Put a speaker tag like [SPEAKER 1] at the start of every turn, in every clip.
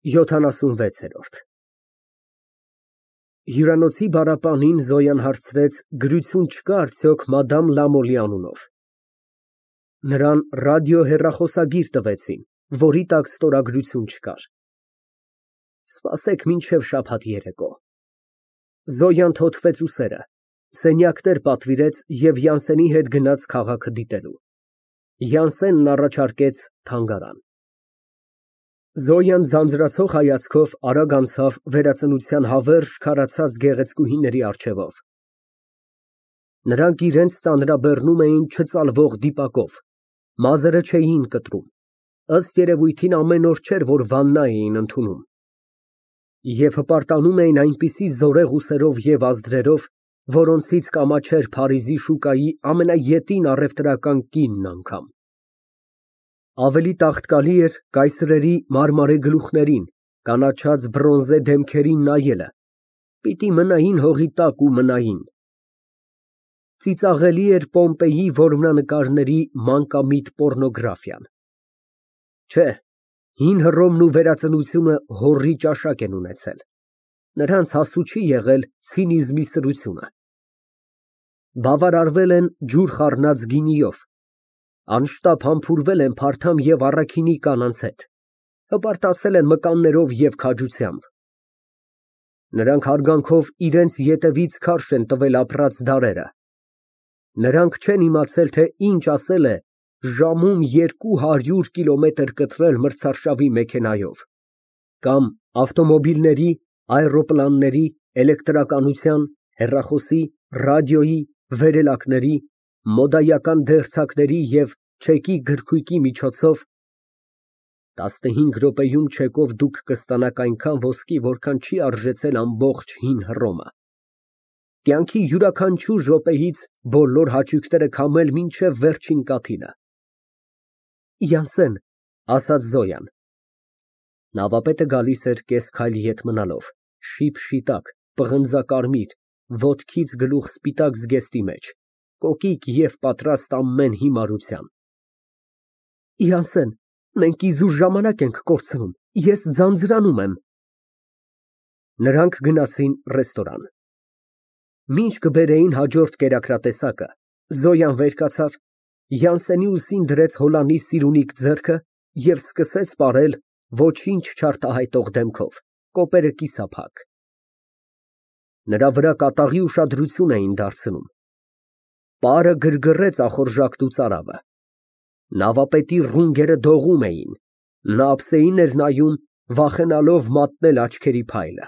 [SPEAKER 1] 76։ Հյուրանոցի բառապանին Զոյան հարցրեց գրություն չկա՞ արդյոք մադամ Լամոլի անունով։ Նրան ռադիոհեռախոսագիր տվեցին, որի տակ ստորագրություն չկար։ Սպասեք մինչև շաբաթ երեկո։ Զոյան թոթվեց ուսերը, սենյակներ պատվիրեց և Յանսենի հետ գնաց քաղաքը դիտելու։ Յանսենն առաջարկեց թանգարան։ Զոյան ձանձրացող հայացքով արագ անցավ վերածնության հավերժ քարացած գեղեցկուհիների առջևով։ Նրանք իրենց ծանրաբեռնում էին չծալվող դիպակով, մազերը չէին կտրում, ըստ երևույթին ամեն օր չէր, որ վաննա էին ընդունում, և հպարտանում էին այնպիսի զորեղ ուսերով և ազդրերով, որոնցից կամաչեր Փարիզի շուկայի ամենաետին առևտրական կինն անգամ։ Ավելի տաղտկալի էր կայսրերի մարմարե գլուխներին, կանաչած բրոնզե դեմքերին նայելը, պիտի մնային հողի տակ ու մնային։ Ծիծաղելի էր Պոմպեյի որմնանկարների մանկամիտ պոռնոգրաֆիան։ Չէ, հին Հռոմն ու վերածնությունը հոռի ճաշակ են ունեցել, նրանց հասու չի եղել ցինիզմի սրությունը։ Բավարարվել են ջուր խառնած գինիով, անշտապ համբուրվել են փարթամ և առաքինի կանանց հետ, հպարտացել են մկաններով և քաջությամբ։ Նրանք հարգանքով իրենց ետևից քարշ են տվել ապրած դարերը։ Նրանք չեն իմացել, թե ինչ ասել է ժամում 200 կիլոմետր կտրել մրցարշավի մեքենայով, կամ ավտոմոբիլների, աէրոպլանների, էլեկտրականության, հեռախոսի, ռադիոյի, վերելակների, մոդայական դերձակների և չեկի գրքույկի միջոցով 15 րոպեում չեկով դուք կստանաք այնքան ոսկի, որքան չի արժեցել ամբողջ հին Հռոմը, կյանքի յուրաքանչյուր րոպեից բոլոր հաճույքները քամել մինչև վերջին կաթիլը։ Յանսեն, ասաց Զոյան։ Նավապետը գալիս էր կես քայլ ետ մնալով, շիպ֊շիտակ, պղնձակարմիր, ոտքից գլուխ սպիտակ զգեստի մեջ, կոկիկ և պատրաստ ամեն հիմարության։ Յանսեն, մենք իզուր ժամանակ ենք կորցնում, ես ձանձրանում եմ։ Նրանք գնացին ռեստորան։ Մինչ կբերեին հաջորդ կերակրատեսակը, Զոյան վեր կացավ, Յանսենի ուսին դրեց հոլանի սիրունիկ ձեռքը և սկսեց պարել ոչինչ չարտահայտող դեմքով, կոպերը կիսափակ։ Նրա վրա կատաղի ուշադրություն էին դարձնում։ Պարը գրգռեց ախորժակն ու ծարավը։ Նավապետի ռունգերը դողում էին, նա ափսեին էր նայում, վախենալով մատնել աչքերի փայլը։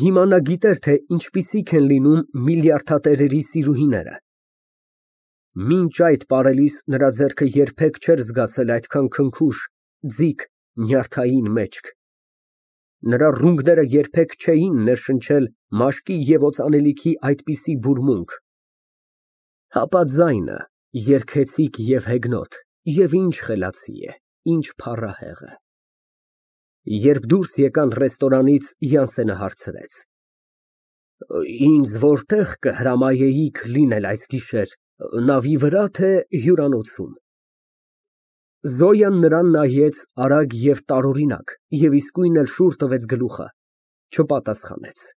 [SPEAKER 1] Հիմա նա գիտեր, թե ինչպիսիք են լինում միլիարդատերերի սիրուհիները։ Մինչ այդ պարելիս նրա ձեռքը երբեք չէր զգացել այդքան քնքուշ, ձիգ, նյարդային մեջք։ Նրա ռունգները երբեք չէին ներշնչել մաշկի և օծանելիքի այդպիսի բուրմունք։ Հապա ձայնը երգեցիկ և հեգնոտ, և ինչ խելացի է, ինչ փառահեղ է։ Երբ դուրս եկան ռեստորանից, Յանսենը հարցրեց. Ինձ որտե՞ղ կհրամայեիք լինել այս գիշեր, նավի վրա, թե հյուրանոցում։ Զոյան նրան նայեց արագ և տարօրինակ և իսկույն էլ շուռ տվեց գլուխը, չպատասխանեց։